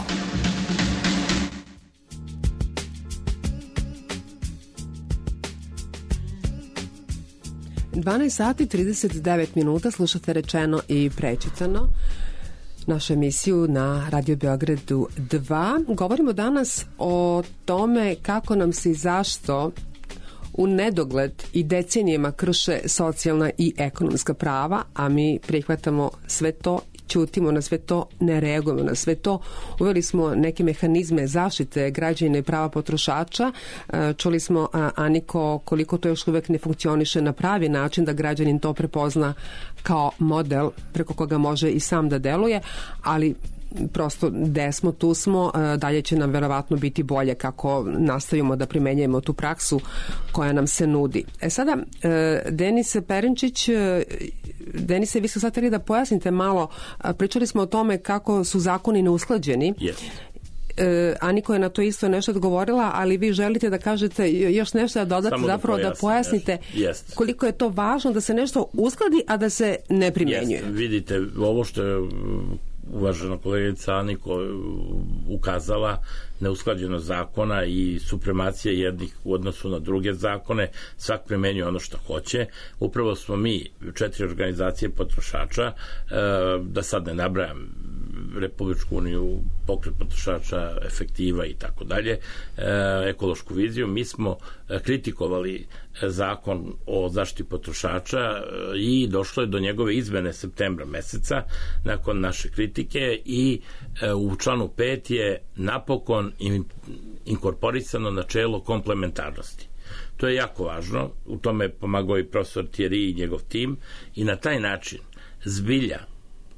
12 sati 39 minuta, slušate Rečeno i prečitano, našu emisiju na Radio Beogradu 2. Govorimo danas o tome kako nam se i zašto u nedogled i decenijima krše socijalna i ekonomska prava, a mi prihvatamo sve to, ćutimo na sve to, ne reagujemo na sve to. Uveli smo neke mehanizme zaštite građana i prava potrošača. Čuli smo, Aniko, koliko to još uvek ne funkcioniše na pravi način da građanin to prepozna kao model preko koga može i sam da deluje, ali prosto gde smo, tu smo, dalje će nam verovatno biti bolje kako nastavimo da primenjujemo tu praksu koja nam se nudi. Sada, Denise Perenčić, Denise, vi ste sad htjeli da pojasnite malo, pričali smo o tome kako su zakoni neusklađeni. Yes. Aniko je na to isto nešto odgovorila, ali vi želite da kažete još nešto, da dodate, zapravo da pojasnite koliko je to važno da se nešto uskladi, a da se ne primjenjuje. Vidite, ovo što je uvažena kolegica Aniko ukazala, neusklađenost zakona i supremacija jednih u odnosu na druge zakone, svak primenjuje ono što hoće. Upravo smo mi, 4 organizacije potrošača, da sad ne nabrajam, Republičku uniju, Pokret potrošača, Efektiva i tako dalje, Ekološku viziju, mi smo kritikovali zakon o zaštiti potrošača i došlo je do njegove izmene septembra meseca nakon naše kritike i u članu 5 je napokon inkorporisano načelo komplementarnosti. To je jako važno, u tome je pomagao i profesor Thierry i njegov tim i na taj način zbilja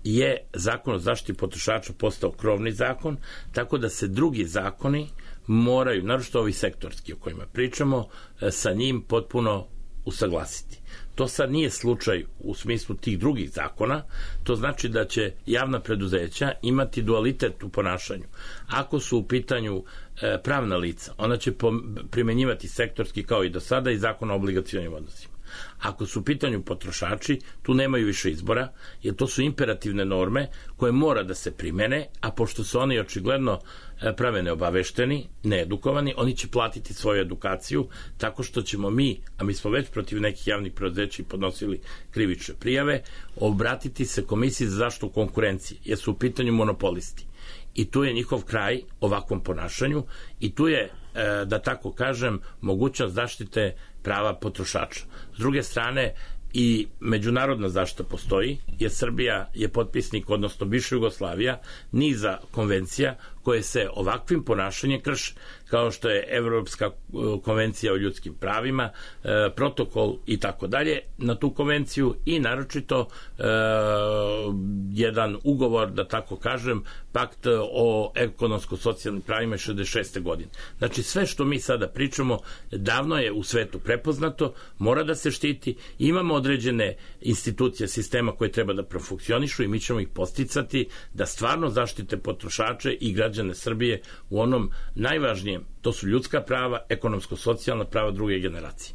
je zakon o zaštiti potrošača postao krovni zakon, tako da se drugi zakoni moraju, naročito ovi sektorski o kojima pričamo, sa njim potpuno usaglasiti. To sad nije slučaj u smislu tih drugih zakona, to znači da će javna preduzeća imati dualitet u ponašanju. Ako su u pitanju pravna lica, ona će primenjivati sektorski kao i do sada i zakon o obligacionim odnosima. Ako su u pitanju potrošači, tu nemaju više izbora, jer to su imperativne norme koje mora da se primene, a pošto su oni očigledno prave neobavešteni, needukovani, oni će platiti svoju edukaciju tako što ćemo mi, a mi smo već protiv nekih javnih preduzeća podnosili krivične prijave, obratiti se Komisiji za zaštitu konkurencije, jer su u pitanju monopolisti. I tu je njihov kraj ovakvom ponašanju i tu je, da tako kažem, mogućnost zaštite prava potrošača. S druge strane, i međunarodna zaštita postoji, jer Srbija je potpisnik, odnosno bivša Jugoslavija, niza konvencija koje se ovakvim ponašanjem krše, kao što je Evropska konvencija o ljudskim pravima, protokol i tako dalje na tu konvenciju i naročito jedan ugovor, da tako kažem, pakt o ekonomsko-socijalnim pravima 66. godine. Znači sve što mi sada pričamo davno je u svetu prepoznato, mora da se štiti, imamo određene institucije sistema koje treba da profunkcionišu i mi ćemo ih posticati da stvarno zaštite potrošače i građane Srbije u onom najvažnijem, to su ljudska prava, ekonomsko-socijalna prava druge generacije.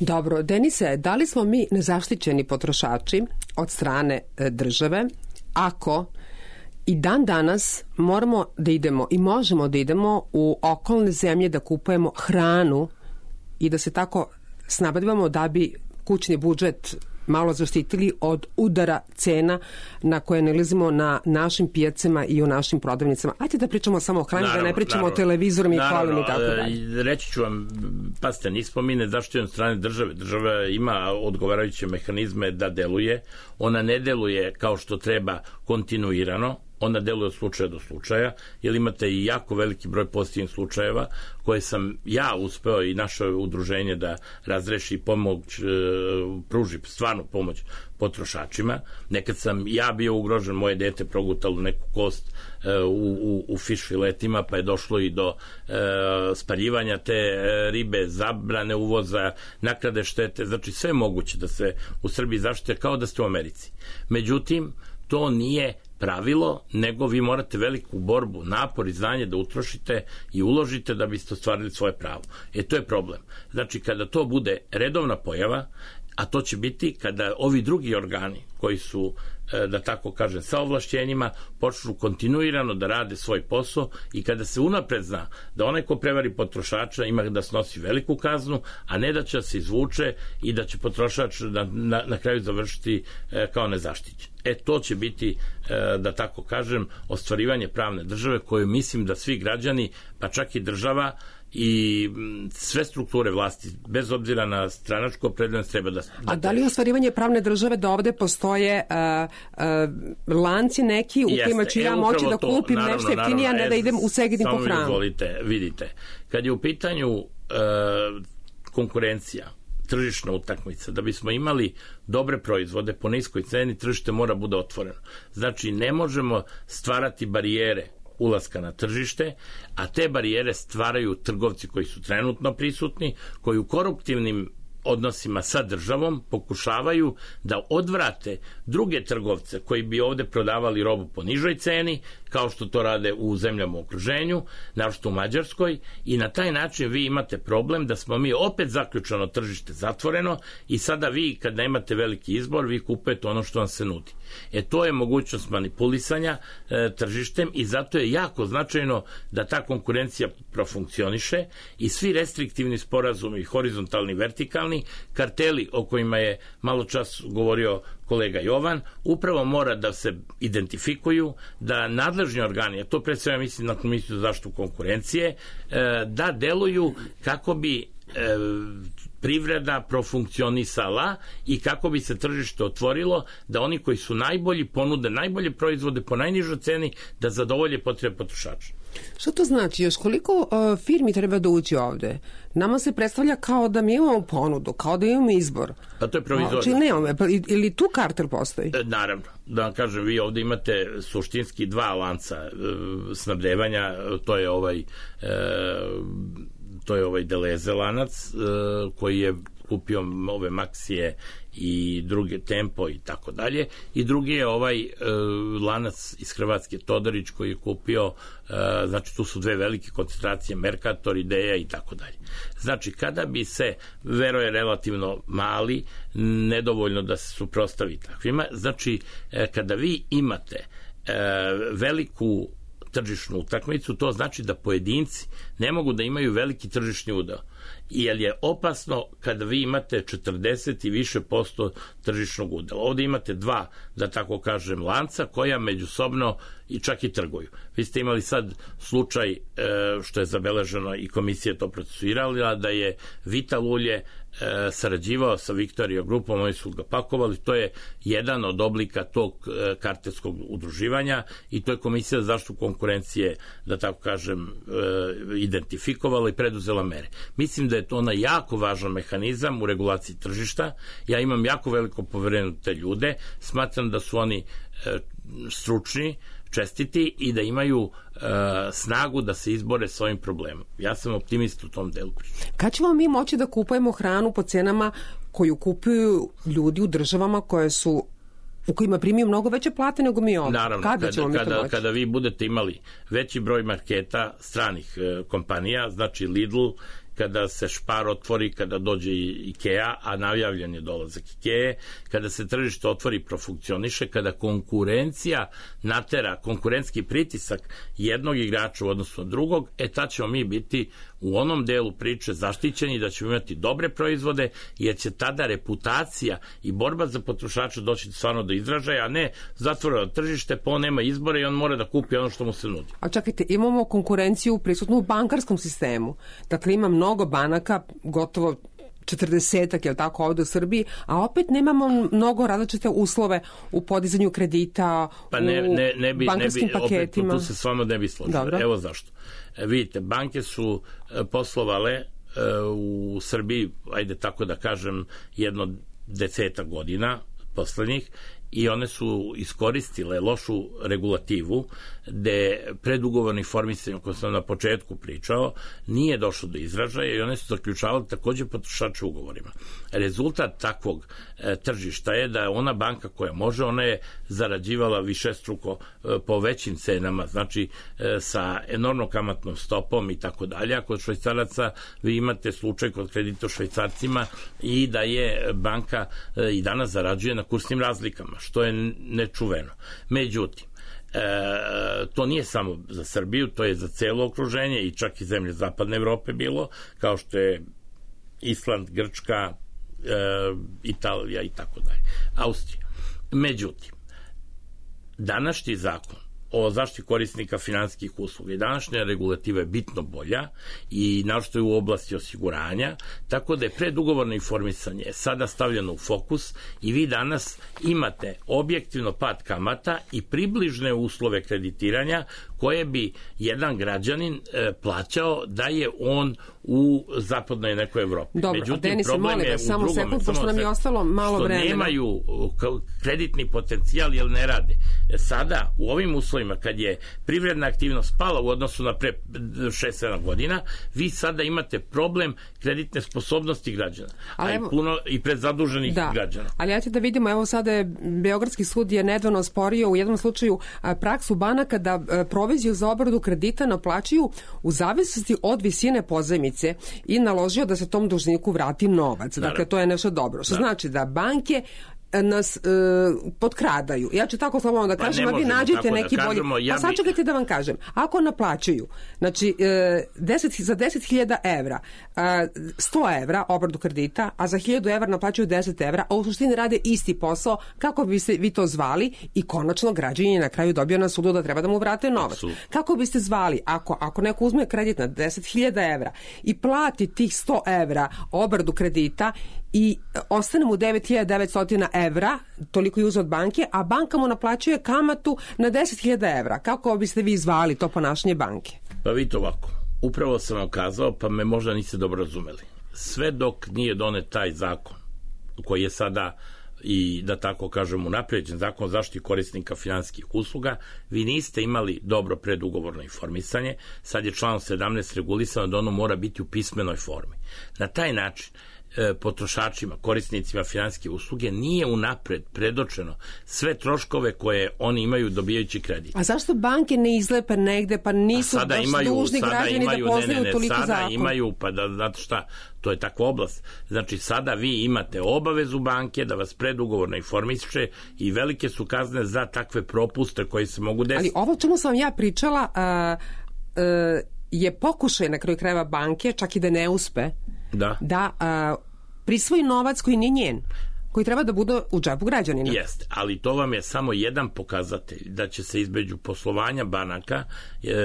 Dobro, Denise, da li smo mi nezaštićeni potrošači od strane države ako i dan danas moramo da idemo i možemo da idemo u okolne zemlje da kupujemo hranu i da se tako snabdevamo da bi kućni budžet malo zaštitili od udara cena na koje nalazimo na našim pijacama i u našim prodavnicama. Ajde da pričamo samo o hrani, da ne pričamo o televizorima i kolima i tako dalje. Reći ću vam, pazite, nismo mi nezaštićeni od strane države. Država ima odgovarajuće mehanizme da deluje. Ona ne deluje kao što treba kontinuirano, ona deluje od slučaja do slučaja, jer imate i jako veliki broj pozitivnih slučajeva koje sam ja uspeo i naše udruženje da razreši pomoć, pruži stvarnu pomoć potrošačima. Nekad sam ja bio ugrožen, moje dete progutalo neku kost u fiš filetima, pa je došlo i do spaljivanja te ribe, zabrane uvoza, naknade štete, znači sve moguće da se u Srbiji zaštite kao da ste u Americi. Međutim, to nije pravilo, nego vi morate veliku borbu, napor i znanje da utrošite i uložite da biste ostvarili svoje pravo. To je problem. Znači, kada to bude redovna pojava, a to će biti kada ovi drugi organi koji su, da tako kažem, sa ovlašćenjima, počnu kontinuirano da rade svoj posao i kada se unapred zna da onaj ko prevari potrošača ima da snosi veliku kaznu, a ne da će se izvuče i da će potrošač na kraju završiti kao nezaštićen. To će biti, da tako kažem, ostvarivanje pravne države koju mislim da svi građani, pa čak i država i sve strukture vlasti, bez obzira na stranačku opredeljenost, treba da... A da li ostvarivanje pravne države da ovde postoje lanci neki u kojima ću ja moći da kupim nešto jeftinije, a ne da idem u Segedin po hranu? Samo vidite, kad je u pitanju konkurencija, tržišna utakmica, da bismo imali dobre proizvode po niskoj ceni, tržište mora bude otvoreno. Znači, ne možemo stvarati barijere ulaska na tržište, a te barijere stvaraju trgovci koji su trenutno prisutni, koji u koruptivnim odnosima sa državom pokušavaju da odvrate druge trgovce koji bi ovde prodavali robu po nižoj ceni, kao što to rade u zemljama u okruženju, naročito u Mađarskoj, i na taj način vi imate problem da smo mi opet zaključano tržište zatvoreno i sada vi kad nemate veliki izbor, vi kupujete ono što vam se nudi. To je mogućnost manipulisanja tržištem i zato je jako značajno da ta konkurencija profunkcioniše i svi restriktivni sporazumi, horizontalni, vertikalni, karteli o kojima je malo čas govorio kolega Jovan, upravo mora da se identifikuju, da nadležni organi, a to pre svega mislim na Komisiju za zaštitu konkurencije, da deluju kako bi privreda profunkcionisala i kako bi se tržište otvorilo, da oni koji su najbolji ponude najbolje proizvode po najnižoj ceni, da zadovolje potrebe potrošača. Što to znači? Još koliko firmi treba da uđe ovde? Nama se predstavlja kao da mi imamo ponudu, kao da imamo izbor. Pa to je provizorno. Znači nemamo, ili tu kartel postoji? Naravno. Da vam kažem, vi ovde imate suštinski dva lanca snabdevanja, to je ovaj Deleze lanac koji je kupio ove Maxije i druge Tempo i tako dalje, i drugi je ovaj lanac iz Hrvatske Todorić koji je kupio, znači tu su dve velike koncentracije, Mercator, Ideja i tako dalje. Znači kada bi se, vero je relativno mali, nedovoljno da se suprotstavi takvima, znači kada vi imate veliku tržišnu utakmicu, to znači da pojedinci ne mogu da imaju veliki tržišni udeo, jer je opasno kada vi imate 40 i više % tržišnog udela. Ovde imate dva, da tako kažem, lanca koja međusobno i čak i trguju. Vi ste imali sad slučaj, što je zabeleženo i komisija to procesuirala, da je Vital ulje sarađivao sa Victoria grupom, oni su ga pakovali, to je jedan od oblika tog kartelskog udruživanja i to je Komisija za zaštitu konkurencije, da tako kažem, identifikovala i preduzela mere. Mislim da je to onaj jako važan mehanizam u regulaciji tržišta. Ja imam jako veliko poverenje u te ljude, smatram da su oni stručni, čestiti i da imaju snagu da se izbore s ovim problemom. Ja sam optimist u tom delu priče. Kad ćemo mi moći da kupujemo hranu po cenama koju kupuju ljudi u državama koje su u kojima primiju mnogo veće plate nego mi ovdje? Naravno, kada vi budete imali veći broj marketa stranih kompanija, znači Lidl, kada se Spar otvori, kada dođe IKEA, a najavljen je dolazak IKEA, kada se tržište otvori i profunkcioniše, kada konkurencija natera konkurentski pritisak jednog igrača u odnosu na drugog, tad ćemo mi biti u onom delu priče zaštićeni, da ćemo imati dobre proizvode, jer će tada reputacija i borba za potrošača doći stvarno do izražaja, a ne zatvoreno tržište, pa on nema izbora i on mora da kupi ono što mu se nudi. A čekajte, imamo konkurenciju prisutnu u bankarskom sistemu. Dakle, ima mnogo banaka, gotovo 40-ak, je li tako, ovdje u Srbiji, a opet nemamo mnogo različite uslove u podizanju kredita, u bankarskim paketima. Opet, tu se s vama ne bi složio. Evo zašto. Vidite, banke su poslovale u Srbiji, ajde tako da kažem, 10 godina poslednjih, i one su iskoristile lošu regulativu gde predugovorni informisanje, koje sam na početku pričao, nije došlo do izražaja i one su zaključavale takođe potrošače ugovorima. Rezultat takvog tržišta je da ona banka koja može, ona je zarađivala višestruko po većim cenama, znači sa enormnom kamatnom stopom i tako dalje. A kod švajcaraca vi imate slučaj kod kredita švajcarcima i da je banka i danas zarađuje na kursnim razlikama, što je nečuveno. Međutim, to nije samo za Srbiju, to je za celo okruženje i čak i zemlje zapadne Evrope bilo, kao što je Island, Grčka, Italija i tako dalje, Austrija. Međutim, današnji zakon o zaštiti korisnika finansijskih usluga i današnja regulativa je bitno bolja i naročito je u oblasti osiguranja, tako da je predugovorno informisanje sada stavljeno u fokus i vi danas imate objektivno pad kamata i približne uslove kreditiranja koje bi jedan građanin plaćao da je on u zapadnoj nekoj Evropi. Dobro, međutim, Denise, problem molim je vas, u samo drugome, sekund, pošto nam je ostalo malo što vremena. nemaju kreditni potencijal jer ne rade. Sada, u ovim uslovima, kad je privredna aktivnost pala u odnosu na pre 6-7 godina, vi sada imate problem kreditne sposobnosti građana, i predzaduženih građana. Ali ja ću da vidimo, evo sada je Beogradski sud je nedavno osporio u jednom slučaju praksu banaka da proviziju za obradu kredita naplaćuju u zavisnosti od visine pozajmice i naložio da se tom dužniku vrati novac. Dakle, to je nešto dobro. Što znači da banke nas potkradaju. Ja ću tako slobodno da kažem, a vi nađite neki bolji. Pa sad čekajte da vam kažem. Ako naplaćuju, znači za 10.000 evra 100 evra obradu kredita, a za 1.000 evra naplaćuju 10 evra, a u suštini rade isti posao, kako biste vi to zvali i konačno građanin na kraju dobio na sudu da treba da mu vrate novac. Kako biste zvali ako neko uzme kredit na 10.000 evra i plati tih 100 evra obradu kredita i ostane mu 9.900 evra, toliko je uzeo od banke, a banka mu naplaćuje kamatu na 10.000 evra. Kako biste vi zvali to ponašanje banke? Pa vidite ovako, upravo sam vam kazao, pa me možda niste dobro razumeli. Sve dok nije donet taj zakon, koji je sada i da tako kažem unapređen, zakon o zaštiti korisnika finansijskih usluga, vi niste imali dobro predugovorno informisanje. Sad je članom 17 regulisano da ono mora biti u pismenoj formi. Na taj način potrošačima, korisnicima finansijske usluge nije unapred predočeno sve troškove koje oni imaju dobijajući kredit. A zašto banke ne izlepe negde, pa nisu baš dužni građani da poznaju toliko zakon? Sada imaju, pa da, znate šta, to je takva oblast. Znači, sada vi imate obavezu banke da vas predugovorno informiše i velike su kazne za takve propuste koji se mogu desiti. Ali ovo čemu sam vam ja pričala je pokušaj na kraju krajeva banke, čak i da ne uspe, da prisvoji novac koji nije njen, koji treba da bude u džepu građanina. Jeste, ali to vam je samo jedan pokazatelj da će se između poslovanja banaka,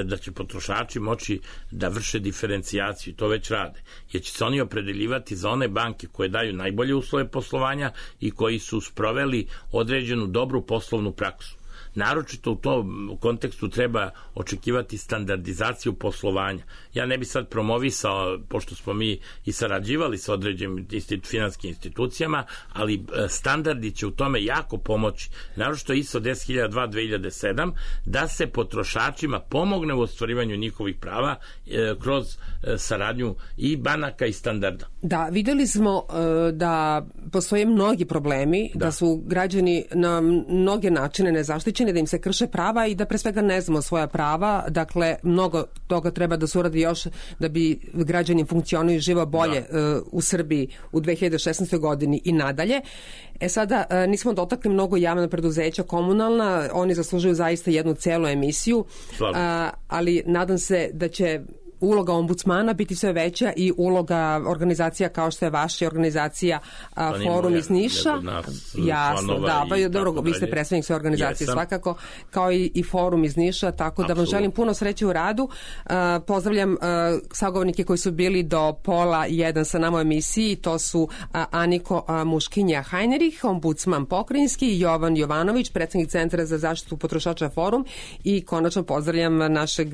da će potrošači moći da vrše diferencijaciju, to već rade, jer će se oni opredeljivati za one banke koje daju najbolje uslove poslovanja i koji su sproveli određenu dobru poslovnu praksu. Naročito u tom kontekstu treba očekivati standardizaciju poslovanja. Ja ne bi sad promovisao, pošto smo mi i sarađivali sa određenim finanskim institucijama, ali standardi će u tome jako pomoći. Naročito ISO 10002-2007, da se potrošačima pomogne u ostvarivanju njihovih prava kroz saradnju i banaka i standarda. Da, videli smo da postoje mnogi problemi, da su građani na mnoge načine nezaštićeni, da im se krše prava i da pre svega ne znamo svoja prava. Dakle, mnogo toga treba da se uradi još da bi građani funkcionuju i živo bolje u Srbiji u 2016. godini i nadalje. Sada nismo dotakli mnogo javna preduzeća komunalna, oni zaslužuju zaista jednu celu emisiju, ali nadam se da će uloga ombudsmana biti sve veća i uloga organizacija kao što je vaša organizacija Forum iz Niša. Jasno, dobro, vi ste predstavnik sve organizacije svakako, kao i Forum iz Niša, tako da vam želim puno sreće u radu. Pozdravljam sagovornike koji su bili do pola 1 sa nama u emisiji, to su Aniko Muškinja-Hajnerih, ombudsman pokrajinski, Jovan Jovanović, predsednik Centra za zaštitu potrošača Forum, i konačno pozdravljam našeg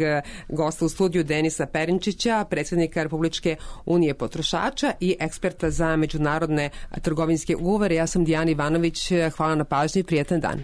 gosta u studiju Denisa Perinčića, predsjednika Republičke unije potrošača i eksperta za međunarodne trgovinske ugovore. Ja sam Dijana Ivanović, hvala na pažnji i prijetan dan.